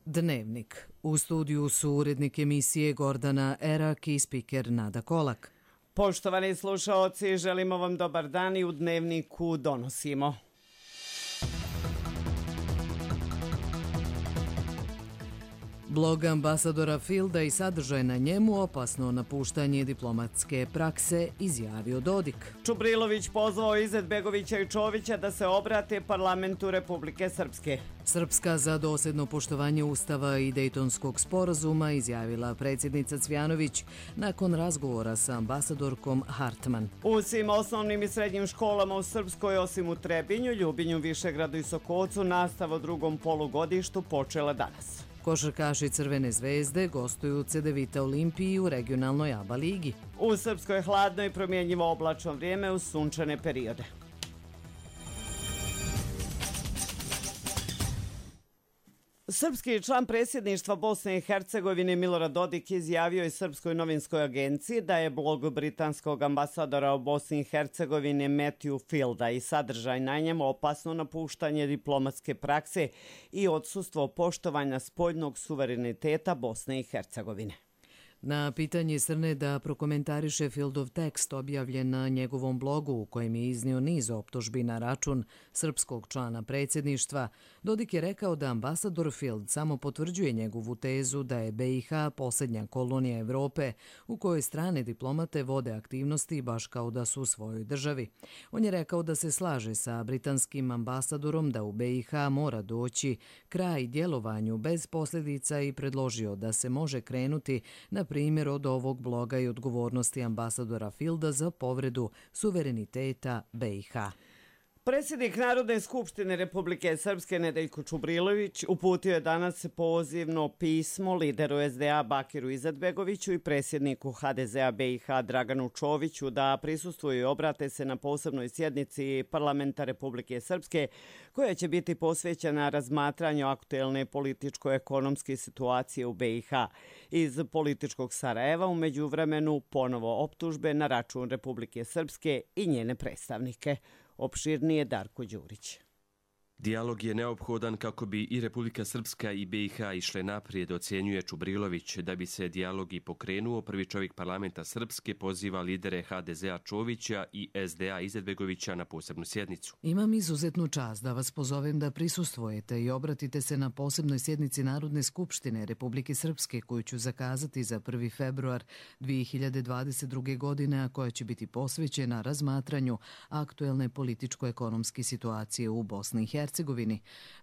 Dnevnik. U studiju su urednik emisije Gordana Erak i spiker Nada Kolak. Poštovani slušaoci, želimo vam dobar dan i u Dnevniku donosimo. Blog ambasadora Filda i sadržaj na njemu opasno napuštanje diplomatske prakse, izjavio Dodik. Čubrilović pozvao Izetbegovića i Čovića da se obrate parlamentu Republike Srpske. Srpska za dosljedno poštovanje Ustava i Dejtonskog sporazuma, izjavila predsjednica Cvjanović nakon razgovora sa ambasadorkom Hartman. U svim osnovnim i srednjim školama u Srpskoj, osim u Trebinju, Ljubinju, Višegradu i Sokocu, nastava u drugom polugodištu počela danas. Košarkaši Crvene zvezde gostuju u Cedevita Olimpiji u regionalnoj ABA ligi. U Srpskoj je hladno i promjenjivo oblačno vrijeme uz sunčane periode. Srpski član predsjedništva Bosne i Hercegovine Milorad Dodik izjavio je Srpskoj novinskoj agenciji da je blog britanskog ambasadora u Bosni i Hercegovini Matthew Fielda i sadržaj na njemu opasno napuštanje diplomatske prakse i odsustvo poštovanja spoljnog suvereniteta Bosne i Hercegovine. Na pitanje Srne da prokomentariše Fieldov tekst objavljen na njegovom blogu u kojem je iznio niz optužbi na račun srpskog člana predsjedništva, Dodik je rekao da ambasador Field samo potvrđuje njegovu tezu da je BiH posljednja kolonija Evrope u kojoj strane diplomate vode aktivnosti baš kao da su u svojoj državi. On je rekao da se slaže sa britanskim ambasadorom da u BiH mora doći kraj djelovanju bez posljedica i predložio da se može krenuti na primjer od ovog bloga i odgovornosti ambasadora Fielda za povredu suvereniteta BiH. Predsjednik Narodne skupštine Republike Srpske Nedeljko Čubrilović uputio je danas pozivno pismo lideru SDA Bakiru Izetbegoviću i predsjedniku HDZ-a BiH Draganu Čoviću da prisustvuju i obrate se na posebnoj sjednici Parlamenta Republike Srpske koja će biti posvećena razmatranju aktuelne političko-ekonomske situacije u BiH. Iz političkog Sarajeva u međuvremenu ponovo optužbe na račun Republike Srpske i njene predstavnike. Opširnije Darko Đurić. Dijalog je neophodan kako bi i Republika Srpska i BiH išle naprijed, ocjenjuje Čubrilović. Da bi se dijalog i pokrenuo, prvi čovjek parlamenta Srpske poziva lidere HDZ-a Čovića i SDA Izetbegovića na posebnu sjednicu. Imam izuzetnu čast da vas pozovem da prisustvujete i obratite se na posebnoj sjednici Narodne skupštine Republike Srpske koju ću zakazati za 1. februar 2022. godine, a koja će biti posvećena razmatranju aktuelne političko-ekonomske situacije u Bosni i Hercegovini.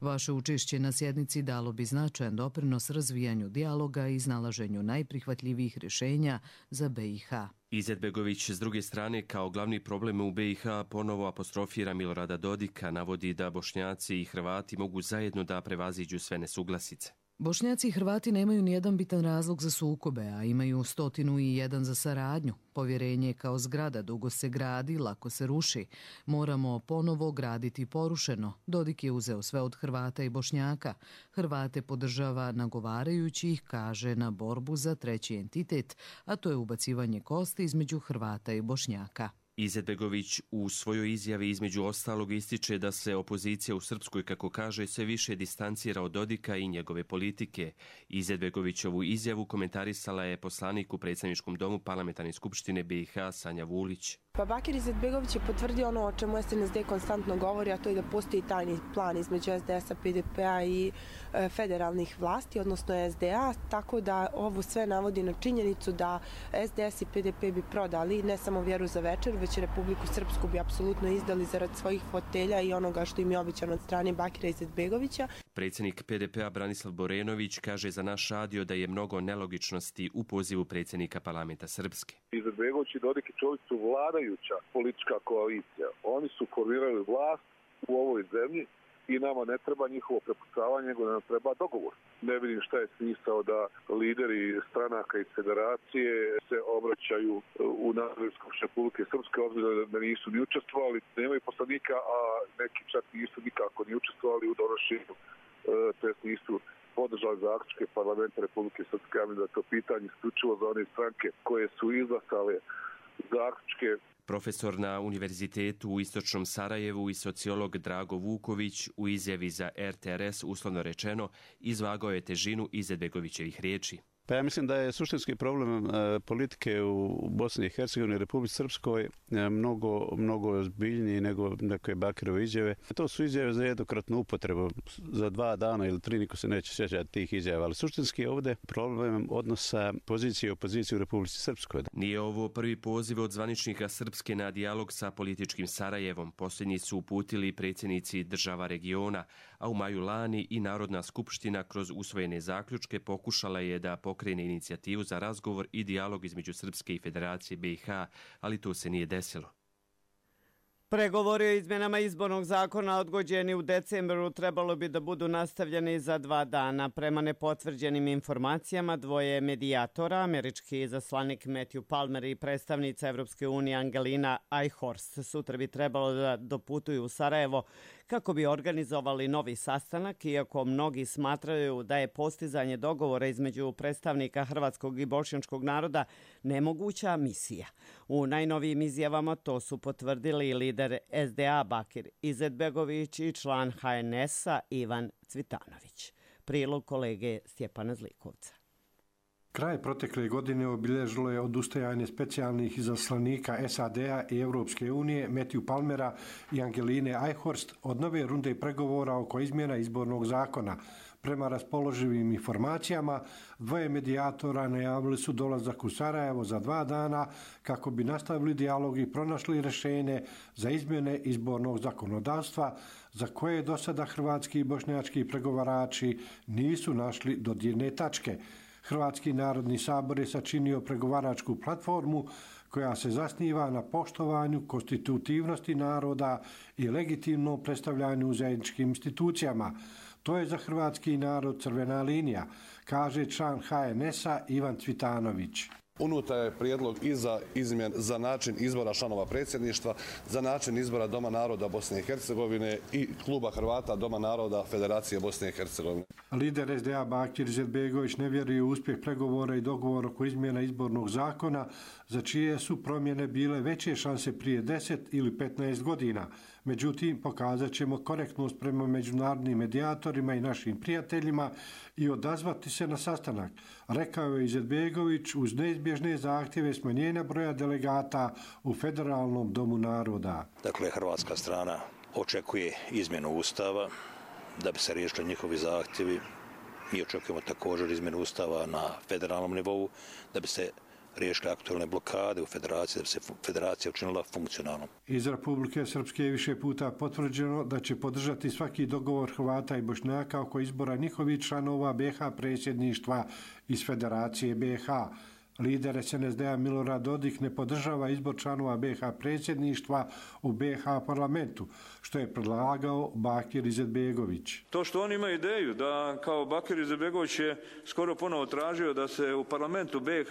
Vaše učešće na sjednici dalo bi značajan doprinos razvijanju dijaloga i iznalaženju najprihvatljivijih rješenja za BiH. Izetbegović s druge strane kao glavni problem u BiH ponovo apostrofira Milorada Dodika, navodi da Bošnjaci i Hrvati mogu zajedno da prevaziđu sve nesuglasice. Bošnjaci i Hrvati nemaju nijedan bitan razlog za sukobe, a imaju 101 za saradnju. Povjerenje kao zgrada dugo se gradi, lako se ruši. Moramo ponovo graditi porušeno. Dodik je uzeo sve od Hrvata i Bošnjaka. Hrvate podržava nagovarajući ih, kaže, na borbu za treći entitet, a to je ubacivanje kosti između Hrvata i Bošnjaka. Izetbegović u svojoj izjavi između ostalog ističe da se opozicija u Srpskoj, kako kaže, sve više distancira od Dodika i njegove politike. Izetbegovićovu izjavu komentarisala je poslanik u predsjedničkom domu Parlamentarne skupštine BiH Sanja Vulić. Pa Bakir Izetbegović je potvrdio ono o čemu SNSD konstantno govori, a to je da postoji tajni plan između SDS-a, PDP-a i federalnih vlasti, odnosno SDA, tako da ovo sve navodi na činjenicu da SDS i PDP bi prodali ne samo Vjeru za večer, već i Republiku Srpsku bi apsolutno izdali zarad svojih fotelja i onoga što im je obećano od strane Bakira Izetbegovića. Predsjednik PDP-a Branislav Borenović kaže za naš radio da je mnogo nelogičnosti u pozivu predsjednika parlamenta Srpske. Izetbegović i Dodik i Čović su vladajuća politička koalicija. Oni su formirali vlast u ovoj zemlji i nama ne treba njihovo prepucavanje, nego nam treba dogovor. Ne vidim šta je smisao da lideri stranaka iz federacije se obraćaju u Narodnoj skupštini Republike Srpske, obzirom da nisu ni učestvovali, nemaju poslanika, a neki čak nisu nikako ni učestvovali u donošenju, to jest nisu podržali zaključke parlamenta Republike Srpske. Ja mislim da je to pitanje isključivo za one stranke koje su izglasale zaključke. Profesor na Univerzitetu u Istočnom Sarajevu i sociolog Drago Vuković u izjavi za RTRS, uslovno rečeno, izvagao je težinu Izetbegovićevih riječi. Pa ja mislim da je suštinski problem politike u Bosni i Hercegovini i Republici Srpskoj mnogo ozbiljniji nego neke Bakirove izjave. To su izjave za jednokratnu upotrebu, za 2 dana ili 3, niko se neće sjećati tih izjava, ali suštinski je ovdje problem odnosa pozicije i opozicije u Republici Srpskoj. Nije ovo prvi poziv od zvaničnika Srpske na dijalog sa političkim Sarajevom. Posljednji su uputili predsjednici država regiona, a u maju lani i Narodna skupština kroz usvojene zaključke pokušala je da pokrene inicijativu za razgovor i dijalog između Srpske i Federacije BiH, ali to se nije desilo. Pregovori o izmjenama izbornog zakona odgođeni u decembru trebalo bi da budu nastavljeni za 2 dana. Prema nepotvrđenim informacijama, 2 medijatora, američki izaslanik Matthew Palmer i predstavnica Evropske unije Angelina Eichhorst, sutra bi trebalo da doputuju u Sarajevo kako bi organizovali novi sastanak, iako mnogi smatraju da je postizanje dogovora između predstavnika hrvatskog i bošnjačkog naroda nemoguća misija. U najnovijim izjavama to su potvrdili lider SDA Bakir Izetbegović i član HNS-a Ivan Cvitanović. Prilog kolege Stjepana Zlikovca. Kraj protekle godine obilježilo je odustajanje specijalnih izaslanika SAD-a i Europske unije Matthew Palmera i Angeline Eichhorst od nove runde pregovora oko izmjena izbornog zakona. Prema raspoloživim informacijama, 2 medijatora najavili su dolazak u Sarajevo za 2 dana kako bi nastavili dijalog i pronašli rješenje za izmjene izbornog zakonodavstva za koje do sada hrvatski i bošnjački pregovarači nisu našli dodirne tačke. Hrvatski narodni sabor je sačinio pregovaračku platformu koja se zasniva na poštovanju konstitutivnosti naroda i legitimnom predstavljanju u zajedničkim institucijama. To je za hrvatski narod crvena linija, kaže član HNS-a Ivan Cvitanović. Unutra je prijedlog i za način izbora članova predsjedništva, za način izbora Doma naroda Bosne i Hercegovine i Kluba Hrvata Doma naroda Federacije Bosne i Hercegovine. Lider SDA Bakir Izetbegović ne vjeruje u uspjeh pregovora i dogovora oko izmjena izbornog zakona, za čije su promjene bile veće šanse prije 10 ili 15 godina. Međutim, pokazat ćemo korektnost prema međunarodnim medijatorima i našim prijateljima i odazvati se na sastanak, rekao je Izetbegović uz neizbježne zahtjeve smanjenja broja delegata u Federalnom domu naroda. Dakle, hrvatska strana očekuje izmjenu ustava da bi se riješili njihovi zahtjevi. Mi očekujemo također izmjenu ustava na federalnom nivou da bi se riješile aktualne blokade u federaciji, da bi se federacija učinila funkcionalnom. Iz Republike Srpske je više puta potvrđeno da će podržati svaki dogovor Hrvata i Bošnjaka oko izbora njihovih članova BiH predsjedništva iz Federacije BiH. Lider SNSD-a Milorad Dodik ne podržava izbor članova BiH predsjedništva u BiH parlamentu, što je predlagao Bakir Izetbegović. To što oni imaju ideju da kao Bakir Izetbegović je skoro ponovo tražio da se u parlamentu BiH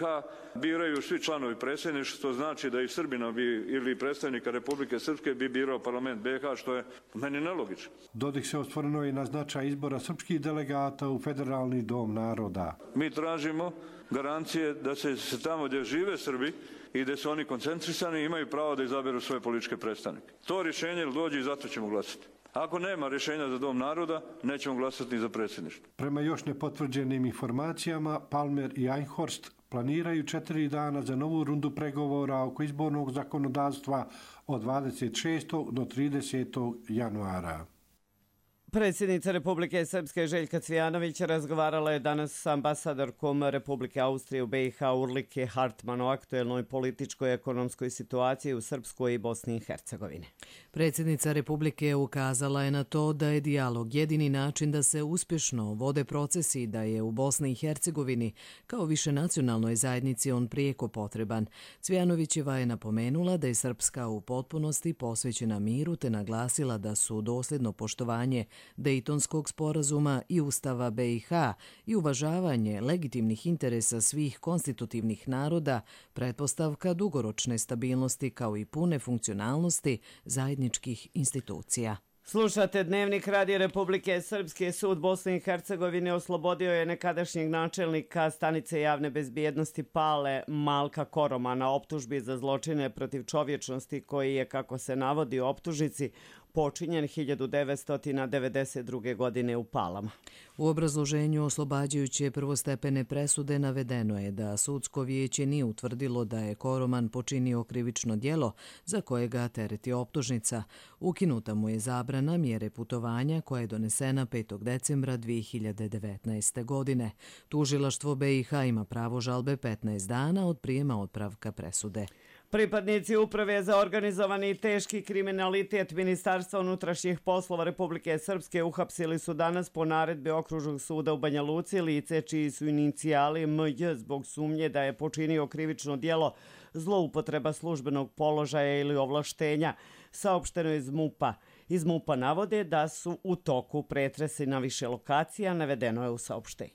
biraju svi članovi predsjedništva, što znači da i Srbina bi ili predstavnika Republike Srpske bi birao parlament BiH, što je meni nelogično. Dodik se osvrnuo i na značaj izbora srpskih delegata u Federalni dom naroda. Mi tražimo garancije da se tamo gdje žive Srbi i gdje su oni koncentrisani imaju pravo da izaberu svoje političke predstavnike. To rješenje dođe i zato ćemo glasati. Ako nema rješenja za dom naroda, nećemo glasati ni za predsjedništvo. Prema još nepotvrđenim informacijama, Palmer i Eichhorst planiraju 4 dana za novu rundu pregovora oko izbornog zakonodavstva od 26. do 30. januara. Predsjednica Republike Srpske Željka Cvijanović razgovarala je danas s ambasadorkom Republike Austrije u BiH Urlike Hartman o aktuelnoj političkoj i ekonomskoj situaciji u Srpskoj i Bosni i Hercegovini. Predsjednica Republike ukazala je na to da je dijalog jedini način da se uspješno vode procesi, da je u Bosni i Hercegovini kao višenacionalnoj zajednici on prijeko potreban. Cvijanovićeva je napomenula da je Srpska u potpunosti posvećena miru te naglasila da su dosljedno poštovanje Dejtonskog sporazuma i Ustava BiH i uvažavanje legitimnih interesa svih konstitutivnih naroda pretpostavka dugoročne stabilnosti kao i pune funkcionalnosti zajedničkih institucija. Slušate Dnevnik Radija Republike Srpske. Sud Bosne i Hercegovine oslobodio je nekadašnjeg načelnika stanice javne bezbjednosti Pale Malka Koroma na optužbi za zločine protiv čovječnosti koji je, kako se navodi u optužnici, počinjen 1992. godine u Palama. U obrazloženju oslobađajuće prvostepene presude navedeno je da sudsko vijeće nije utvrdilo da je Koroman počinio krivično djelo za koje ga tereti optužnica. Ukinuta mu je zabrana mjere putovanja koja je donesena 5. decembra 2019. godine. Tužilaštvo BiH ima pravo žalbe 15 dana od prijema otpravka presude. Pripadnici Uprave za organizovani i teški kriminalitet Ministarstva unutrašnjih poslova Republike Srpske uhapsili su danas po naredbi Okružnog suda u Banja Luci lice čiji su inicijali MJ zbog sumnje da je počinio krivično djelo zloupotreba službenog položaja ili ovlaštenja, saopšteno iz MUP-a. Iz MUP-a navode da su u toku pretresi na više lokacija, navedeno je u saopštenju.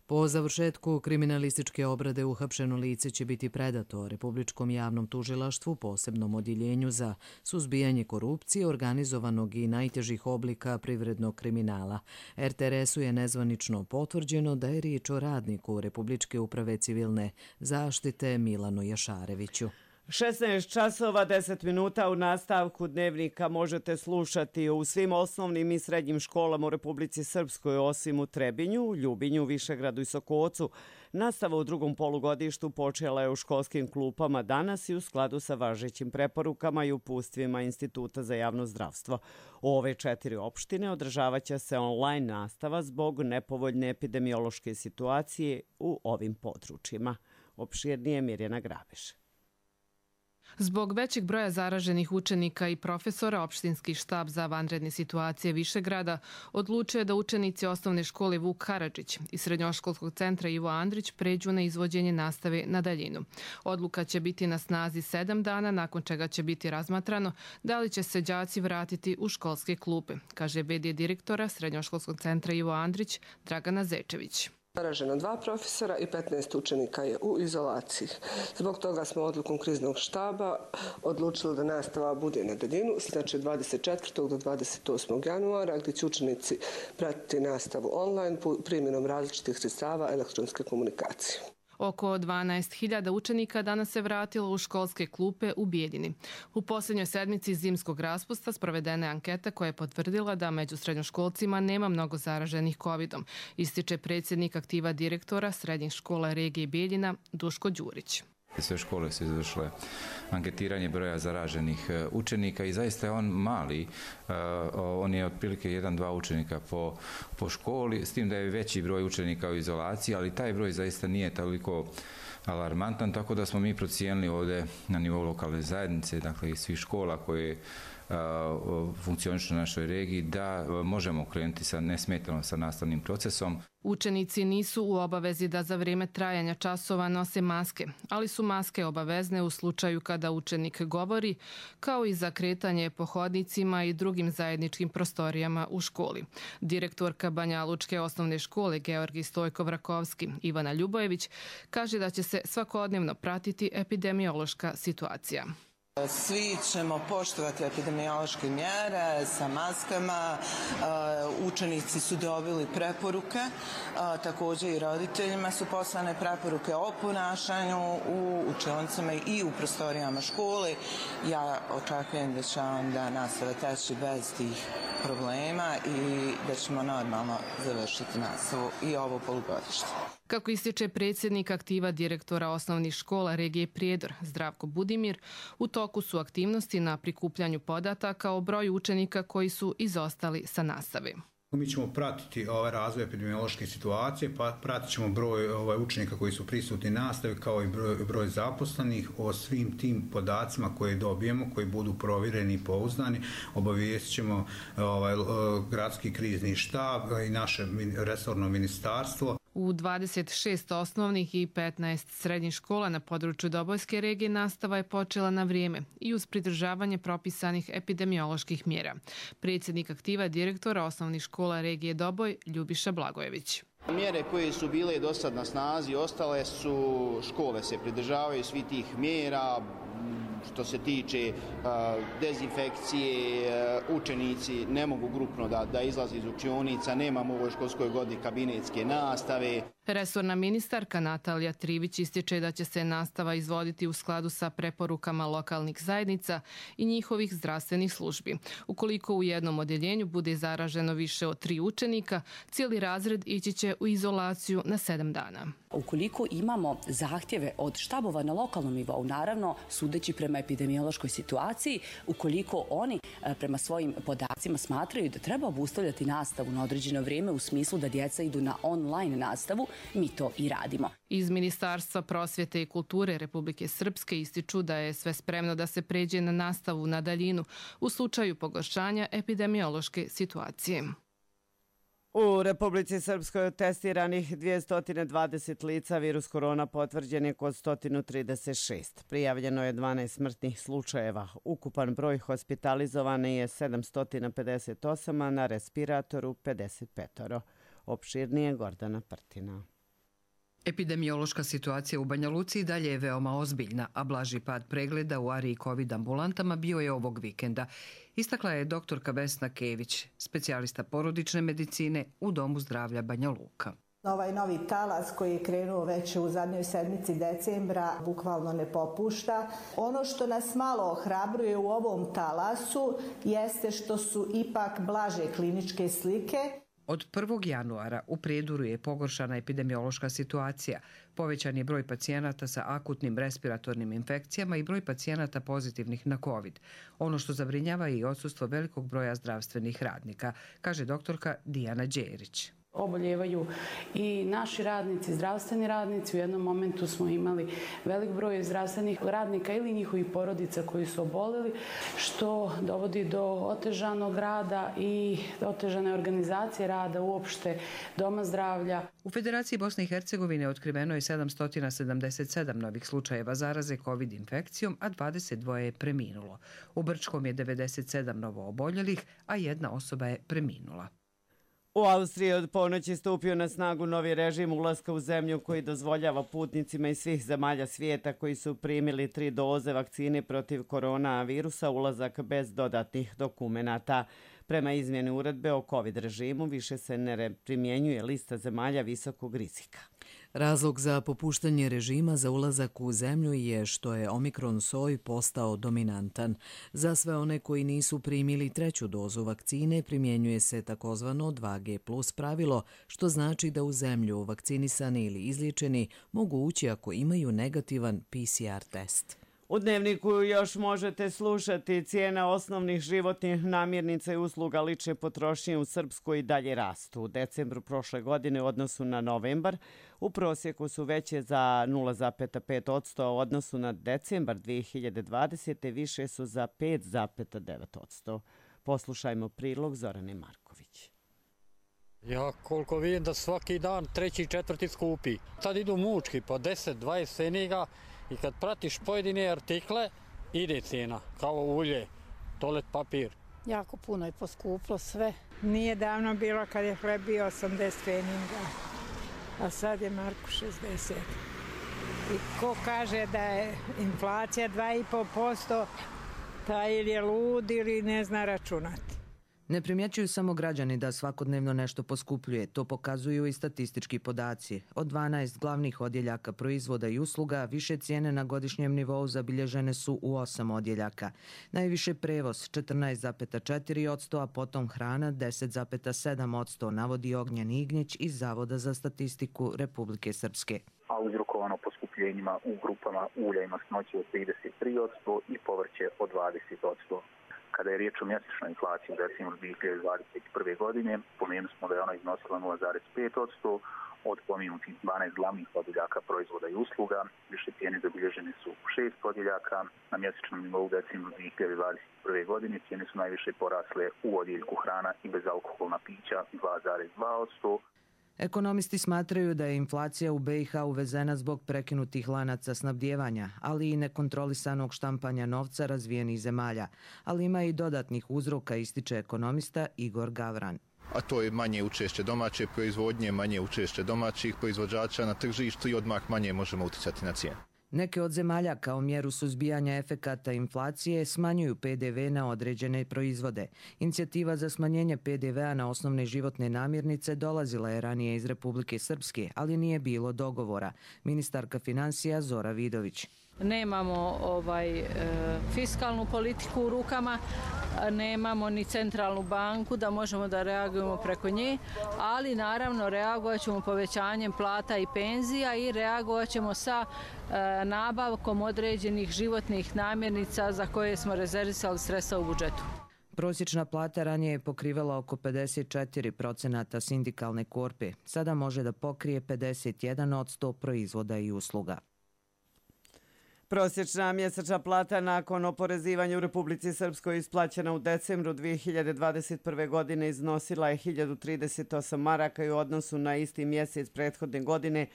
Po završetku kriminalističke obrade uhapšeno lice će biti predato Republičkom javnom tužilaštvu, posebnom odjeljenju za suzbijanje korupcije, organizovanog i najtežih oblika privrednog kriminala. RTRS-u je nezvanično potvrđeno da je riječ o radniku Republičke uprave civilne zaštite Milanu Jašareviću. 16 časova 10 minuta u nastavku Dnevnika možete slušati u svim osnovnim i srednjim školama u Republici Srpskoj, osim u Trebinju, Ljubinju, Višegradu i Sokocu. Nastava u drugom polugodištu počela je u školskim klupama danas i u skladu sa važećim preporukama i upustvima Instituta za javno zdravstvo. U ove 4 opštine održavaće se online nastava zbog nepovoljne epidemiološke situacije u ovim područjima. Opširnije Mirjana Grabeš. Zbog većeg broja zaraženih učenika i profesora, opštinski štab za vanredne situacije Višegrada odlučio je da učenici osnovne škole Vuk Karadžić i srednjoškolskog centra Ivo Andrić pređu na izvođenje nastave na daljinu. Odluka će biti na snazi 7 dana, nakon čega će biti razmatrano da li će se đaci vratiti u školske klupe, kaže v.d. direktora srednjoškolskog centra Ivo Andrić Dragana Zečević. Zaraženo 2 profesora i 15 učenika je u izolaciji. Zbog toga smo odlukom kriznog štaba odlučili da nastava bude na daljinu, znači 24. do 28. januara, gdje će učenici pratiti nastavu online primjenom različitih sredstava elektronske komunikacije. Oko 12.000 učenika danas se vratilo u školske klupe u Bijeljini. U posljednjoj sedmici zimskog raspusta sprovedena je anketa koja je potvrdila da među srednjoškolcima nema mnogo zaraženih covidom, ističe predsjednik aktiva direktora srednjih škola regije Bijeljina Duško Đurić. Sve škole su izvršile anketiranje broja zaraženih učenika i zaista je on mali. On je otprilike 1-2 učenika po školi, s tim da je veći broj učenika u izolaciji, ali taj broj zaista nije toliko alarmantan, tako da smo mi procijenili ovdje na nivou lokalne zajednice, dakle i svih škola koje funkcionišu u našoj regiji, da možemo krenuti nesmetano sa nastavnim procesom. Učenici nisu u obavezi da za vrijeme trajanja časova nose maske, ali su maske obavezne u slučaju kada učenik govori, kao i za kretanje po hodnicima i drugim zajedničkim prostorijama u školi. Direktorka Banjalučke osnovne škole Georgij Stojkov-Rakovski Ivana Ljubojević kaže da će se svakodnevno pratiti epidemiološka situacija. Svi ćemo poštovati epidemiološke mjere sa maskama, učenici su dobili preporuke, također i roditeljima su poslane preporuke o ponašanju u učionicama i u prostorijama škole. Ja očekujem da će onda nastava teći bez tih problema i da ćemo normalno završiti nastavu i ovo polugodište. Kako ističe predsjednik aktiva direktora osnovnih škola regije Prijedor, Zdravko Budimir, u toku su aktivnosti na prikupljanju podataka o broju učenika koji su izostali sa nastave. Mi ćemo pratiti razvoj epidemiološke situacije, pa pratit ćemo broj učenika koji su prisutni nastavi kao i broj zaposlenih. O svim tim podacima koje dobijemo, koji budu provjereni i pouzdani, obavijestit ćemo gradski krizni štab i naše resorno ministarstvo. U 26 osnovnih i 15 srednjih škola na području Dobojske regije nastava je počela na vrijeme i uz pridržavanje propisanih epidemioloških mjera. Predsjednik aktiva direktora osnovnih škola regije Doboj Ljubiša Blagojević. Mjere koje su bile do sad na snazi ostale su, škole se pridržavaju svi tih mjera, što se tiče dezinfekcije, učenici ne mogu grupno da izlaze iz učionica, nemamo u ovoj školskoj godini kabinetske nastave. Resorna ministarka Natalija Trivić ističe da će se nastava izvoditi u skladu sa preporukama lokalnih zajednica i njihovih zdravstvenih službi. Ukoliko u jednom odjeljenju bude zaraženo više od 3 učenika, cijeli razred ići će u izolaciju na 7 dana. Ukoliko imamo zahtjeve od štabova na lokalnom nivou, naravno sudeći prema epidemiološkoj situaciji, ukoliko oni prema svojim podacima smatraju da treba obustavljati nastavu na određeno vrijeme u smislu da djeca idu na online nastavu, mi to i radimo. Iz Ministarstva prosvjete i kulture Republike Srpske ističu da je sve spremno da se pređe na nastavu na daljinu u slučaju pogoršanja epidemiološke situacije. U Republici Srpskoj od testiranih 220 lica virus korona potvrđen je kod 136. Prijavljeno je 12 smrtnih slučajeva. Ukupan broj hospitalizovane je 758, a na respiratoru 55. Opširnije Gordana Prtina. Epidemiološka situacija u Banja Luci i dalje je veoma ozbiljna, a blaži pad pregleda u ARI i COVID ambulantama bio je ovog vikenda. Istakla je doktorka Vesna Kević, specijalista porodične medicine u Domu zdravlja Banja Luka. Ovaj novi talas koji je krenuo već u zadnjoj sedmici decembra bukvalno ne popušta. Ono što nas malo ohrabruje u ovom talasu jeste što su ipak blaže kliničke slike. Od 1. januara u Prijedoru je pogoršana epidemiološka situacija. Povećan je broj pacijenata sa akutnim respiratornim infekcijama i broj pacijenata pozitivnih na COVID. Ono što zabrinjava je i odsustvo velikog broja zdravstvenih radnika, kaže doktorka Dijana Đerić. Oboljevaju i naši radnici, zdravstveni radnici. U jednom momentu smo imali velik broj zdravstvenih radnika ili njihovih porodica koji su oboleli, što dovodi do otežanog rada i otežane organizacije rada uopšte Doma zdravlja. U Federaciji Bosne i Hercegovine otkriveno je 777 novih slučajeva zaraze COVID infekcijom, a 22 je preminulo. U Brčkom je 97 novo oboljelih, a 1 osoba je preminula. U Austriji od ponoći stupio na snagu novi režim ulaska u zemlju koji dozvoljava putnicima iz svih zemalja svijeta koji su primili 3 doze vakcine protiv koronavirusa ulazak bez dodatnih dokumenata. Prema izmjeni uredbe o COVID režimu više se ne primjenjuje lista zemalja visokog rizika. Razlog za popuštanje režima za ulazak u zemlju je što je omikron soj postao dominantan. Za sve one koji nisu primili 3. dozu vakcine primjenjuje se takozvano 2G+ pravilo, što znači da u zemlju vakcinisani ili izliječeni mogu ući ako imaju negativan PCR test. U Dnevniku još možete slušati cijena osnovnih životnih namirnica i usluga lične potrošnje u Srpskoj i dalje rastu. U decembru prošle godine u odnosu na novembar u prosjeku su veće za 0,5%, a u odnosu na decembar 2020. više su za 5,9%. Poslušajmo prilog Zorane Marković. Ja koliko vidim da svaki dan 3. i 4. skupi. Sad idu mučki po 10-20 ceniga i kad pratiš pojedine artikle ide cijena, kao ulje, toalet papir. Jako puno je poskuplo sve. Nije davno bilo kad je hleb bio 80 pfeninga, a sad je marku 60. I ko kaže da je inflacija 2,5%, taj ili je lud ili ne zna računati. Ne primjećuju samo građani da svakodnevno nešto poskupljuje, to pokazuju i statistički podaci. Od 12 glavnih odjeljaka proizvoda i usluga, više cijene na godišnjem nivou zabilježene su u 8 odjeljaka. Najviše prevoz 14,4%, a potom hrana 10,7%, navodi Ognjen Ignjić iz Zavoda za statistiku Republike Srpske. A uzrokovano poskupljenjima u grupama ulja i masnoće od 33% i povrće od 20%. Kada je riječ o mjesečnoj inflaciji u decembru 2021. godine, pomenuli smo da je ona iznosila 0,5%, od pomenutih 12 glavnih odjeljaka proizvoda i usluga. Više cijene zabilježene su u 6 odjeljaka. Na mjesečnom nivou u decembru 2021. godine cijene su najviše porasle u odjeljku hrana i bezalkoholna pića 2,2%. Ekonomisti smatraju da je inflacija u BiH uvezena zbog prekinutih lanaca snabdijevanja, ali i nekontrolisanog štampanja novca razvijenih zemalja. Ali ima i dodatnih uzroka, ističe ekonomista Igor Gavran. A to je manje učešće domaće proizvodnje, manje učešće domaćih proizvođača na tržištu i odmah manje možemo utjecati na cijenu. Neke od zemalja kao mjeru suzbijanja efekata inflacije smanjuju PDV na određene proizvode. Inicijativa za smanjenje PDV-a na osnovne životne namirnice dolazila je ranije iz Republike Srpske, ali nije bilo dogovora. Ministarka financija Zora Vidović. Nemamo fiskalnu politiku u rukama, nemamo ni centralnu banku da možemo da reagujemo preko nje, ali naravno reagovat ćemo povećanjem plata i penzija i reagovat ćemo sa nabavkom određenih životnih namirnica za koje smo rezervisali sredstva u budžetu. Prosječna plata ranije je pokrivala oko 54% sindikalne korpe. Sada može da pokrije 51% proizvoda i usluga. Prosječna mjesečna plata nakon oporezivanja u Republici Srpskoj isplaćena u decembru 2021. godine iznosila je 1038 maraka i u odnosu na isti mjesec prethodne godine,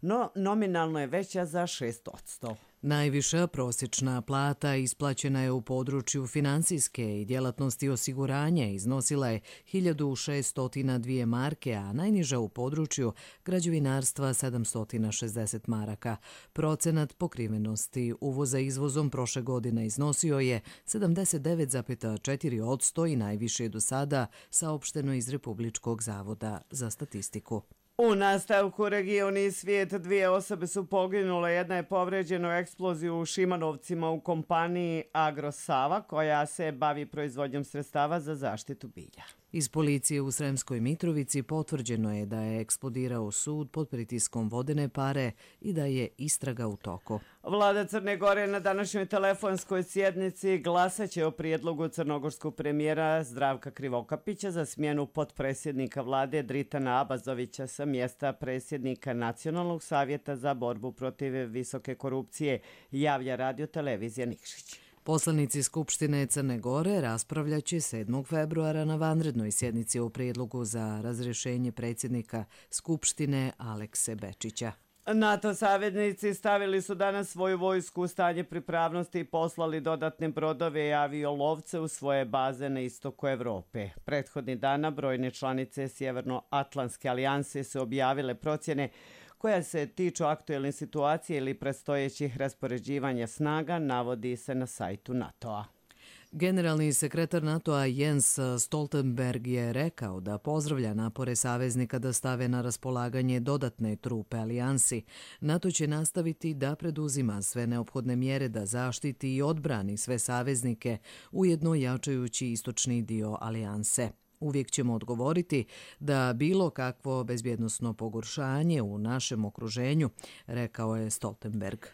no nominalno je veća za 6%. Najviša prosječna plata isplaćena je u području financijske i djelatnosti osiguranja, iznosila je 1602 marke, a najniža u području građevinarstva 760 maraka. Procenat pokrivenosti uvoza izvozom prošle godine iznosio je 79,4% i najviše do sada saopšteno iz Republičkog zavoda za statistiku. U nastavku region i svijet 2 osobe su poginule, jedna je povređena u eksploziju u Šimanovcima u kompaniji Agrosava koja se bavi proizvodnjom sredstava za zaštitu bilja. Iz policije u Sremskoj Mitrovici potvrđeno je da je eksplodirao sud pod pritiskom vodene pare i da je istraga u toku. Vlada Crne Gore na današnjoj telefonskoj sjednici glasaće o prijedlogu crnogorskog premijera Zdravka Krivokapića za smjenu potpredsjednika vlade Dritana Abazovića sa mjesta predsjednika Nacionalnog savjeta za borbu protiv visoke korupcije, javlja Radio televizija Nikšić. Poslanici Skupštine Crne Gore raspravljaće 7. februara na vanrednoj sjednici o prijedlogu za razrješenje predsjednika Skupštine Alekse Bečića. NATO saveznici stavili su danas svoju vojsku u stanje pripravnosti i poslali dodatne brodove i aviolovce u svoje baze na istoku Evrope. Prethodnih dana brojne članice Sjevernoatlantske alijanse su objavile procjene koja se tiču aktuelne situacije ili predstojećih raspoređivanja snaga, navodi se na sajtu NATO-a. Generalni sekretar NATO-a Jens Stoltenberg je rekao da pozdravlja napore saveznika da stave na raspolaganje dodatne trupe alijansi. NATO će nastaviti da preduzima sve neophodne mjere da zaštiti i odbrani sve saveznike, ujedno jačajući istočni dio alijanse. Uvijek ćemo odgovoriti da bilo kakvo bezbjednosno pogoršanje u našem okruženju, rekao je Stoltenberg.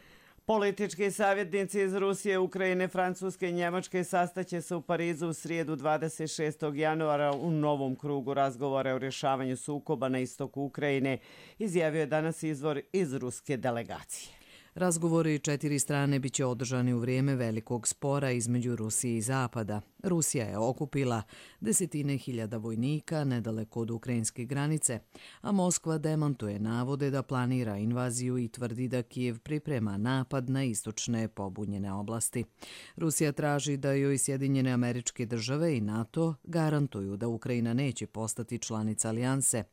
Politički savjetnici iz Rusije, Ukrajine, Francuske i Njemačke sastaće se u Parizu u srijedu 26. januara u novom krugu razgovora o rješavanju sukoba na istoku Ukrajine, izjavio je danas izvor iz ruske delegacije. Razgovori 4 strane biće održani u vrijeme velikog spora između Rusije i Zapada. Rusija je okupila desetine hiljada vojnika nedaleko od ukrajinske granice, a Moskva demantuje navode da planira invaziju i tvrdi da Kijev priprema napad na istočne pobunjene oblasti. Rusija traži da joj Sjedinjene Američke Države i NATO garantuju da Ukrajina neće postati članica alijanse.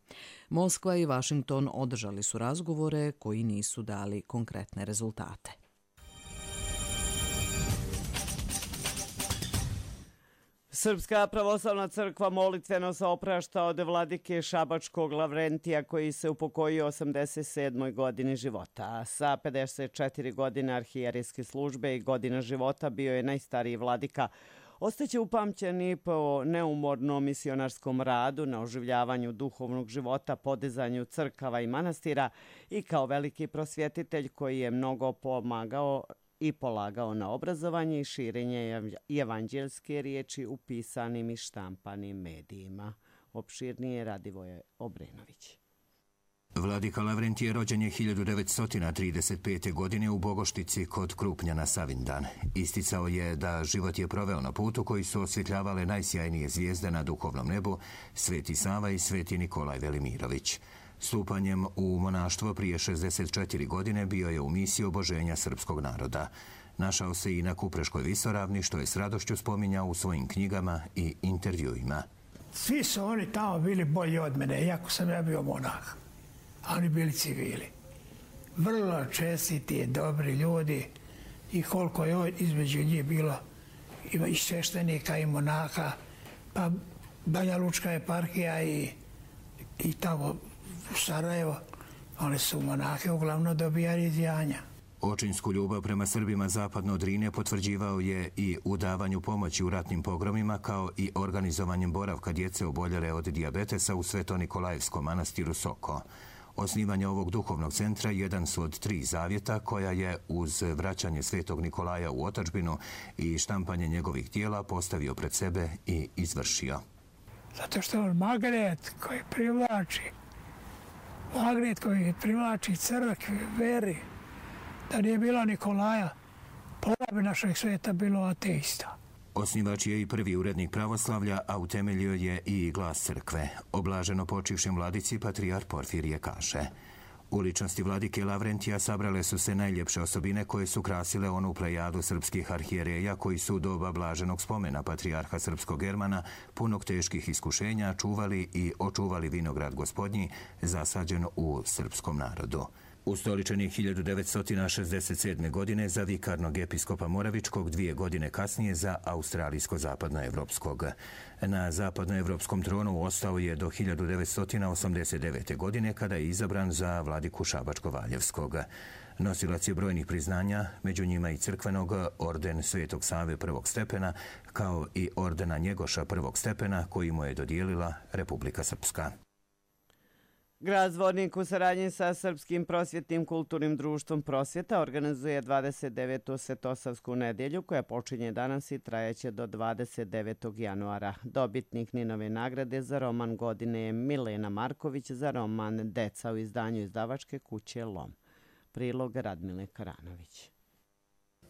Moskva i Vašington održali su razgovore koji nisu dali konkretne rezultate. Srpska pravoslavna crkva molitveno se oprašta od vladike Šabačkog Lavrentija koji se upokojio 87. godini života. Sa 54 godine arhijerijske službe i godina života bio je najstariji vladika. Ostaće upamćeni po neumornom misionarskom radu na oživljavanju duhovnog života, podizanju crkava i manastira i kao veliki prosvjetitelj koji je mnogo pomagao i polagao na obrazovanje i širenje evanđelske riječi u pisanim i štampanim medijima. Opširnije Radivoje Obrenović. Vladika Lavrentije rođen je 1935. godine u Bogoštici kod Krupnja na Savindan. Isticao je da život je proveo na putu koji su osvjetljavale najsjajnije zvijezde na duhovnom nebu, Sveti Sava i Sveti Nikolaj Velimirović. Stupanjem u monaštvo prije 64 godine bio je u misiji oboženja srpskog naroda. Našao se i na Kupreškoj visoravni, što je s radošću spominjao u svojim knjigama i intervjuima. Svi su oni tamo bili bolji od mene, iako sam ja bio monah. A oni bili civili. vrlo čestiti, dobri ljudi i koliko je između njih bilo i sveštenika i monaha, pa Banja Lučka eparhija i tamo u Sarajevo, oni su monahe uglavnom dobijali iz Janja. Očinsku ljubav prema Srbima zapadno od Drine potvrđivao je i u davanju pomoći u ratnim pogromima, kao i organizovanjem boravka djece oboljele od dijabetesa u Sveto-Nikolajevskom manastiru Soko. Osnivanje ovog duhovnog centra jedan su od 3 zavjeta koja je uz vraćanje Svetog Nikolaja u otadžbinu i štampanje njegovih tijela postavio pred sebe i izvršio. Zato što on magnet koji privlači crkvi, veri. Da nije bilo Nikolaja, pola bi našeg svijeta bilo ateista. Osnivač je i prvi urednik pravoslavlja, a utemeljio je i Glas crkve. O blaženo počivšem vladici patrijarh Porfirije kaže: u ličnosti vladike Lavrentija sabrale su se najljepše osobine koje su krasile onu plejadu srpskih arhijereja koji su u doba blaženog spomena patrijarha srpskog Germana, punog teških iskušenja, čuvali i očuvali vinograd Gospodnji zasađen u srpskom narodu. Ustoličen je 1967. godine za vikarnog episkopa Moravičkog, 2 godine kasnije za australijsko-zapadnoevropskog. Na zapadnoevropskom tronu ostao je do 1989. godine kada je izabran za vladiku Šabačko-Valjevskog. Nosilac je brojnih priznanja, među njima i crkvenog, orden Svetog Save prvog stepena, kao i ordena Njegoša prvog stepena koji mu je dodijelila Republika Srpska. Grad Zvornik u saradnji sa Srpskim prosvjetnim kulturnim društvom Prosvjeta organizuje 29. Svetosavsku nedjelju koja počinje danas i trajeće do 29. januara. Dobitnik Ninove nagrade za roman godine je Milena Marković za roman Deca u izdanju izdavačke kuće Lom. Prilog Radmile Karanović.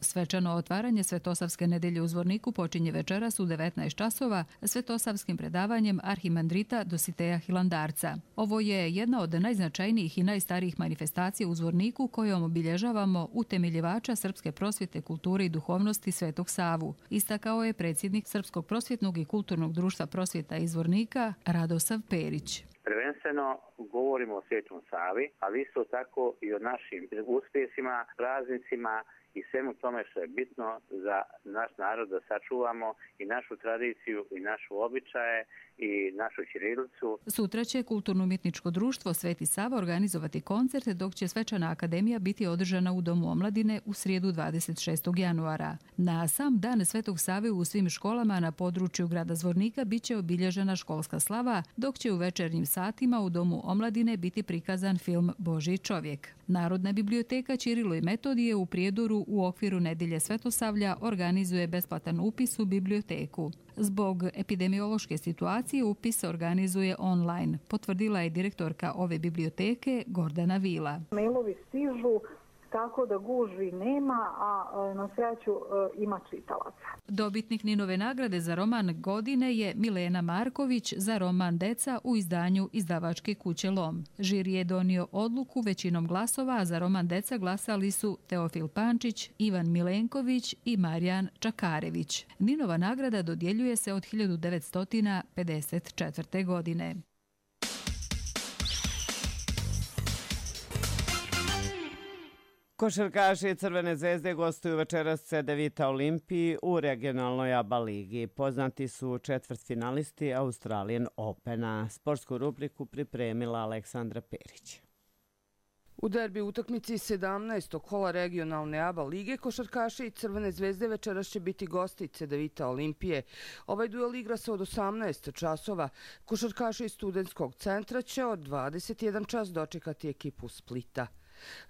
Svečano otvaranje Svetosavske nedelje u Zvorniku počinje večeras u 19 časova svetosavskim predavanjem arhimandrita Dositeja Hilandarca. Ovo je jedna od najznačajnijih i najstarijih manifestacija u Zvorniku kojom obilježavamo utemeljivača srpske prosvjete, kulture i duhovnosti Svetog Savu. Istakao je predsjednik Srpskog prosvjetnog i kulturnog društva Prosvjeta iz Zvornika Radosav Perić. Prvenstveno govorimo o Svetom Savi, ali isto tako i o našim uspjesima, praznicima i svemu tome što je bitno za naš narod da sačuvamo i našu tradiciju i našu običaje i našu ćirilicu. Sutra će Kulturno-umjetničko društvo Sveti Sava organizovati koncert, dok će svečana akademija biti održana u Domu omladine u srijedu 26. januara. Na sam dan Svetog Save u svim školama na području grada Zvornika biće obilježena školska slava, dok će u večernjim satima u Domu omladine biti prikazan film Božji čovjek. Narodna biblioteka Ćirilo i Metodije u Prijedoru u okviru Nedelje Svetosavlja organizuje besplatan upis u biblioteku. Zbog epidemiološke situacije upis se organizuje online, potvrdila je direktorka ove biblioteke Gordana Vila. Mailovi stižu, tako da gužvi nema, a na sreću ima čitalaca. Dobitnik Ninove nagrade za roman godine je Milena Marković za roman Deca u izdanju izdavačke kuće Lom. Žiri je donio odluku većinom glasova, a za roman Deca glasali su Teofil Pančić, Ivan Milenković i Marijan Čakarević. Ninova nagrada dodjeljuje se od 1954. godine. Košarkaši Crvene zvezde gostuju večeras CDVita Olimpiji u regionalnoj ABA ligi. Poznati su četvrtfinalisti Australian Opena. Sportsku rubriku pripremila Aleksandra Perić. U derbi utakmici 17. kola regionalne ABA lige košarkaši i Crvene zvezde večeras će biti gosti CDVita Olimpije. Ovaj duel igra se od 18 časova. Košarkaši iz studentskog centra će od 21 čas dočekati ekipu Splita.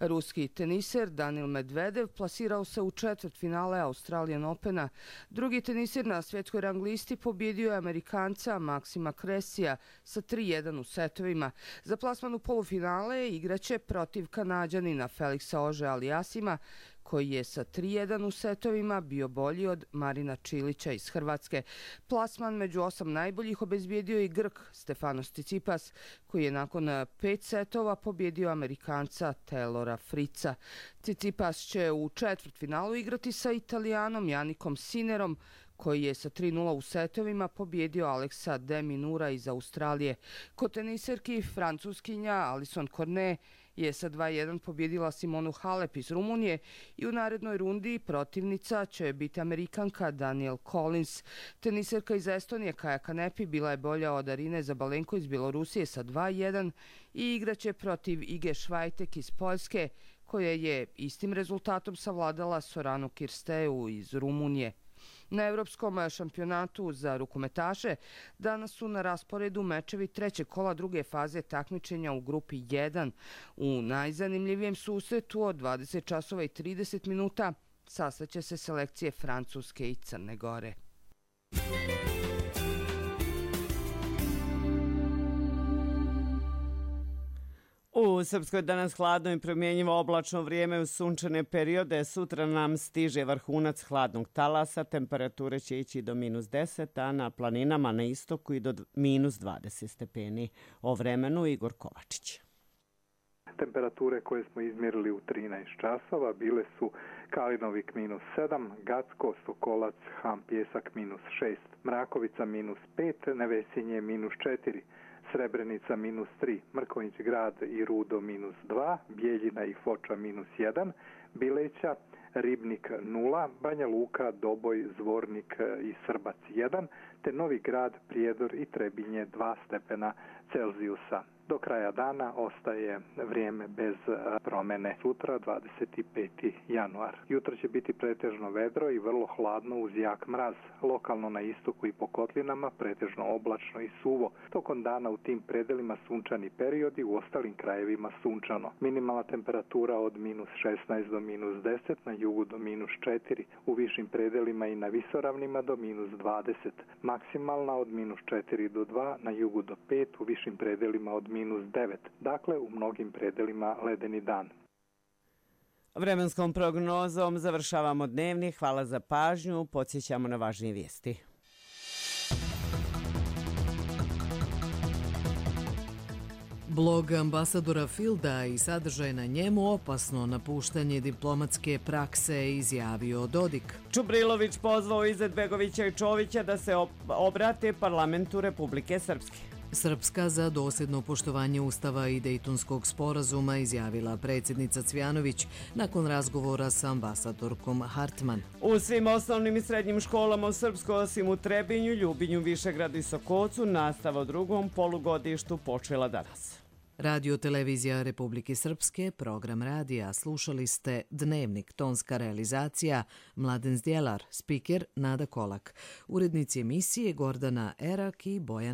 Ruski teniser Danil Medvedev plasirao se u četvrtfinale Australian Opena. Drugi teniser na svjetskoj rang listi pobjedio je Amerikanca Maksima Kresija sa 3-1 u setovima. Za plasman u polufinale igraće protiv Kanađanina Feliksa Ože-Aliasima, koji je sa 3-1 u setovima bio bolji od Marina Čilića iz Hrvatske. Plasman među 8 najboljih obezbijedio i Grk Stefanos Tsitsipas, koji je nakon 5 setova pobjedio Amerikanca Taylora Fritza. Tsitsipas će u četvrtfinalu igrati sa Italijanom Janikom Sinerom, koji je sa 3-0 u setovima pobjedio Aleksa de Minura iz Australije. Kod teniserki Francuskinja Alison Cornet je sa 2:1 pobjedila Simonu Halep iz Rumunije i u narednoj rundi protivnica će biti Amerikanka Danielle Collins. Teniserka iz Estonije Kaja Kanepi bila je bolja od Arine Zabalenko iz Bjelorusije sa 2:1 i igraće protiv Ige Švajtek iz Poljske, koja je istim rezultatom savladala Soranu Kirsteu iz Rumunije. Na Evropskom šampionatu za rukometaše danas su na rasporedu mečevi trećeg kola druge faze takmičenja u grupi 1. U najzanimljivijem susretu od 20 časova i 30 minuta sastaće se selekcije Francuske i Crne Gore. U Srpskoj danas hladno i promjenjivo oblačno vrijeme u sunčane periode. Sutra nam stiže vrhunac hladnog talasa. Temperature će ići do -10, a na planinama na istoku i do -20 stepeni. O vremenu Igor Kovačić. Temperature koje smo izmjerili u 13 časova bile su Kalinovik -7, Gacko, Sokolac, Ham Pjesak -6, Mrakovica -5, Nevesinje -4, Srebrenica -3, Mrkonjić Grad i Rudo -2, Bijeljina i Foča -1, Bileća, Ribnik 0, Banja Luka, Doboj, Zvornik i Srbac 1, te Novi Grad, Prijedor i Trebinje 2 stepena Celzijusa. Do kraja dana ostaje vrijeme bez promjene. Sutra 25. januar. Jutro će biti pretežno vedro i vrlo hladno uz jak mraz. Lokalno na istoku i po kotlinama pretežno oblačno i suvo. Tokom dana u tim predelima sunčani periodi, u ostalim krajevima sunčano. Minimalna temperatura od -16 do -10, na jugu do -4, u višim predelima i na visoravnima do -20. Maksimalna od -4 do 2, na jugu do 5, u višim predelima od -9. Dakle, u mnogim predelima ledeni dan. Vremenskom prognozom završavamo dnevni. Hvala za pažnju. Podsjećamo na važnije vijesti. Blog ambasadora Filda i sadržaj na njemu opasno napuštanje diplomatske prakse, izjavio Dodik. Čubrilović pozvao Izetbegovića i Čovića da se obrate parlamentu Republike Srpske. Srpska za dosljedno poštovanje Ustava i Dejtonskog sporazuma, izjavila predsjednica Cvjanović nakon razgovora sa ambasadorkom Hartman. U svim osnovnim i srednjim školama u Srpskoj, osim u Trebinju, Ljubinju, Višegradu i Sokocu, nastava u drugom polugodištu počela danas. Radio Televizija Republike Srpske, program radija. Slušali ste Dnevnik, tonska realizacija Mladen Zdjelar, spiker Nada Kolak, urednici emisije Gordana Erak i Bojan